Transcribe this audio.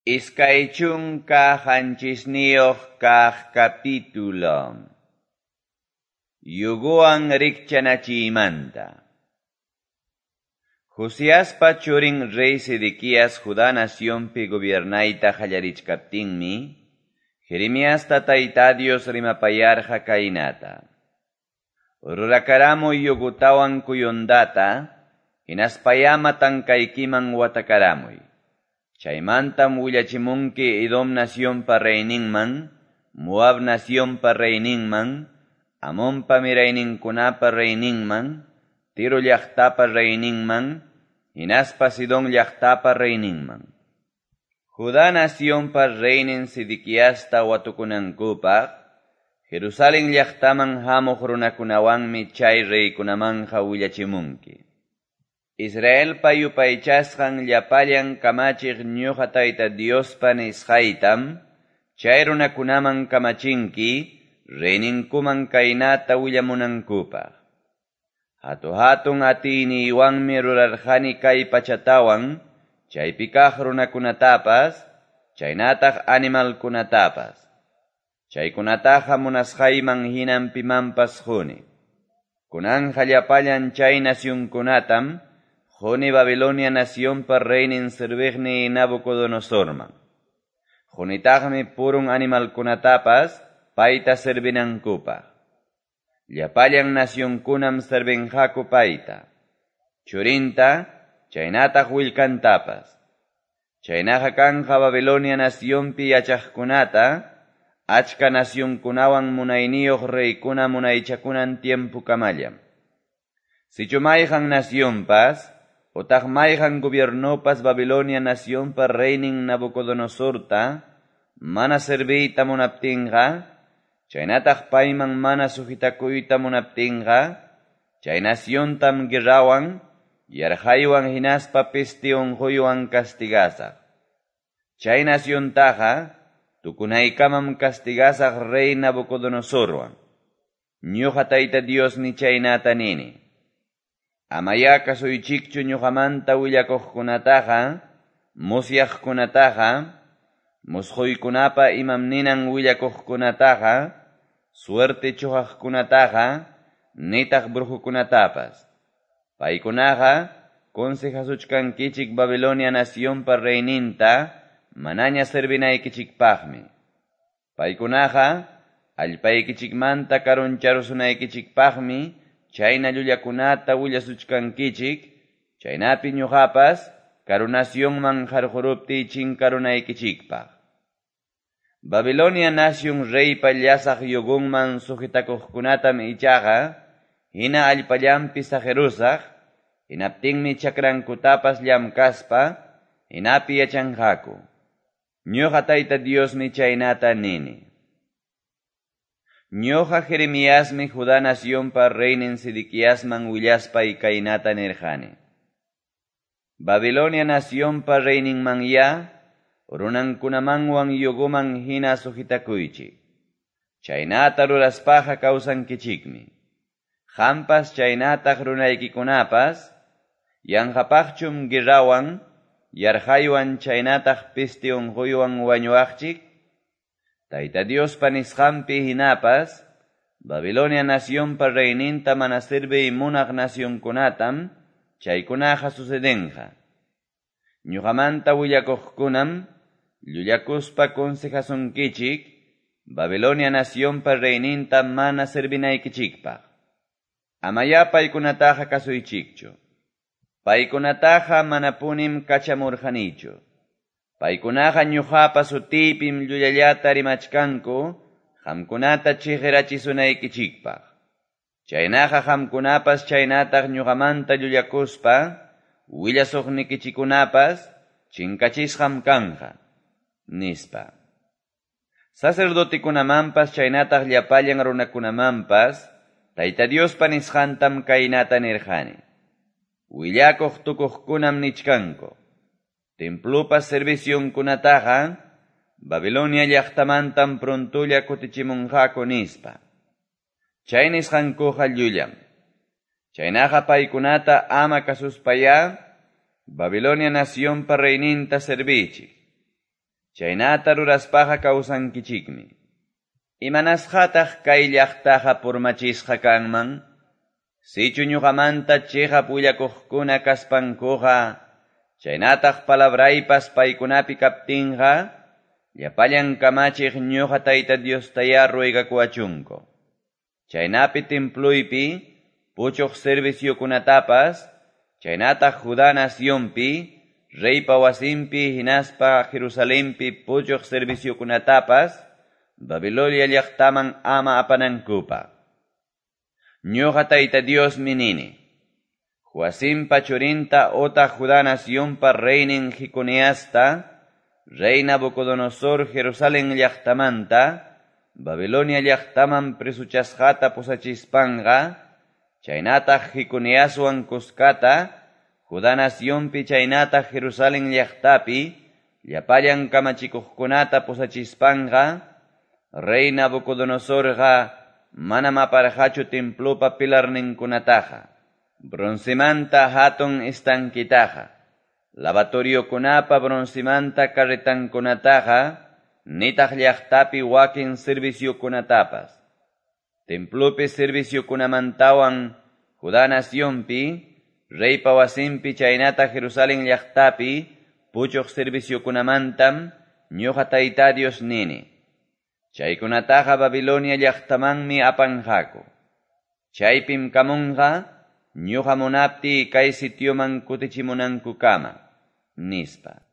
27 kaq capítulo. Yugowan rikchanachiymanta. Josiaspa churin rey Sedequías Judá nacionpi gobiernayta qallarichkaptinmi, Jeremiasta Tayta Dios rimapayarqa kaynata: Rurakaramuy yugutawan kuyundata, hinaspayá matankaykiman watakaramuy. Chaymantam willachimunki Edom nacionpa reyninman, Moab nacionpa reyninman, Amonpa mirayninkunapa reyninman, Tiro llaqtapa reyninman, hinaspa Sidón llaqtapa reyninman. Judá nacionpa reynin Sedequiasta watukunankupaq, Jerusalén llaqtaman hamuq runakunawanmi chay reykunamanqa willachimunki. Israelpa yupaychasqan llapallan kamachiq ñuqa Tayta Diospa nisqaytam, chay runakunaman kamachinki, reyninkuman kaynata willamunankupaq. Hatu-hatun atiyniywanmi rurarqani kay pachatawan, chaypi kaq runakunatapas, chaynataq animalkunatapas. Chaykunataqa munasqayman hinam pimanpas quni. Kunanqa llapallan chay nacionkunatam quni Babilonia nacionpa reynin serviqniy Nabucodonosorman. Qunitaqmi purun animalkunatapas payta servinankupaq. Llapallan nacionkunam servinqaku payta, churinta, chaynataq willkantapas. Chaynaqa kanqa Babilonia nacionpi yachaqkunata, achka nacionkunawan munayniyuq reykuna munaychakunan tiempokamallam. Sichu mayqan nacionpas, otaq mayqan gobiernopas Babilonia nacionpa reynin Nabucodonosorta, mana serviyta munaptinqa, chaynataq payman mana sujetakuyta munaptinqa, chay naciontam guerrawan, yarqaywan hinaspa peste unquywan castigasaq. Chay naciontaqa tukunaykamam castigasaq rey Nabucodonosorwan. Ñuqa Tayta Diosmi chaynata nini. Amayá kasuychikchu ñuqamanta willakuqkunataqa, musyaqkunataqa, musquykunapa imam ninan willakuqkunataqa, suerte chuqaqkunataqa, nitaq brujukunatapas. Paykunaqa consejasuchkankichik Babilonia nacionpa reyninta manaña servinaykichikpaqmi. Paykunaqa allpaykichikmanta karuncharusunaykichikpaqmi chayna llullakunata willasuchkankichik, chaynapi ñuqapas karu nacionman qarquruptiy chinkarunaykichikpaq. Babilonia nacion reypa llasaq yugunman sujetakuqkunatam ichaqa hina allpallanpi saqirusaq, hinaptinmi chakrankutapas llamkaspa hinapi yachanqaku. Ñuqa Tayta Diosmi chaynata nini. Ñuqa Jeremiasmi Judá nacionpa reynin Sedequiasman willaspay kaynata nirqani: Babilonia nacionpa reyninmanyá runankunamanwan yuguman hina sujetakuychik. Chaynata ruraspaqa kawsankichikmi. Qampas chaynataq runaykikunapas, yanqapaqchum guerrawan, yarqaywan chaynataq peste unquywan wañuwaqchik? Tayta Diospa nisqanpi hinapas, Babilonia nacionpa reyninta mana serviy munaq nacionkunatam chaykunaqa sucedenqa. Ñuqamanta willakuqkunam llullakuspa consejasunkichik Babilonia nacionpa reyninta mana servinaykichikpaq. Amayá paykunataqa kasuychikchu. Paykunataqa manapunim kachamurqanichu. Paykunaqa ñuqapa sutiypim llullallata rimachkanku qamkunata chiqirachisunaykichikpaq. Chaynaqa qamkunapas chaynataq ñuqamanta llullakuspa willasuqnikichikunapas chinkachisqam kanqa, nispa. Sacerdotikunamanpas chaynataq llapallan runakunamanpas Tayta Diospa nisqantam kaynata nirqani. Willakuq tukuqkunam nichkanku: Templopa servicionkunataqa Babilonia llaqtamantam prontolla kutichimunqaku nispa. Chay nisqankuqa llullam. Chaynaqa paykunata ama kasuspayá Babilonia nacionpa reyninta servichik. Chaynata ruraspaqa kawsankichikmi. Imanasqataq kay llaqtaqa purmachisqa kanman? Sichu ñuqamanta cheqap willakuqkuna kaspankuqa, chaynataq palabraypas paykunapi kaptinqa, llapallan kamachiq ñuqa Tayta Diostayá ruegakuwachunku. Chaynapi temploypi puchuq serviciokunatapas, chaynataq Judá nacionpi, reypa wasinpi hinaspa Jerusalenpi puchuq serviciokunatapas, Babilonia llaqtaman ama apanankupaq. Ñuqa Tayta Diosmi nini: Joacimpa churinta otaq Judá nacionpa reynin Jeconiasta, rey Nabucodonosor Jerusalén llaqtamanta, Babilonia llaqtaman presochasqata pusachispanqa, chaynataq Jeconiaswan kuskata, Judá nacionpi chaynataq Jerusalén llaqtapi, llapallan kamachikuqkunata pusachispanqa, rey Nabucodonosorqa manam aparqachu templopa pilarninkunataqa, broncemanta hatun estanquetaqa, lavatoriokunapa broncemanta carretankunataqa, nitaq llaqtapi wakin serviciokunatapas. Templopi serviciokunamantawan Judá nacionpi, reypa wasinpi chaynataq Jerusalén llaqtapi puchuq serviciokunamantam ñuqa Tayta Dios nini: Chaykunataqa Babilonia llaqtamanmi apanqaku. Chaypim kamunqa ñuqa munaptiy kay sitioman kutichimunankukama, nispa.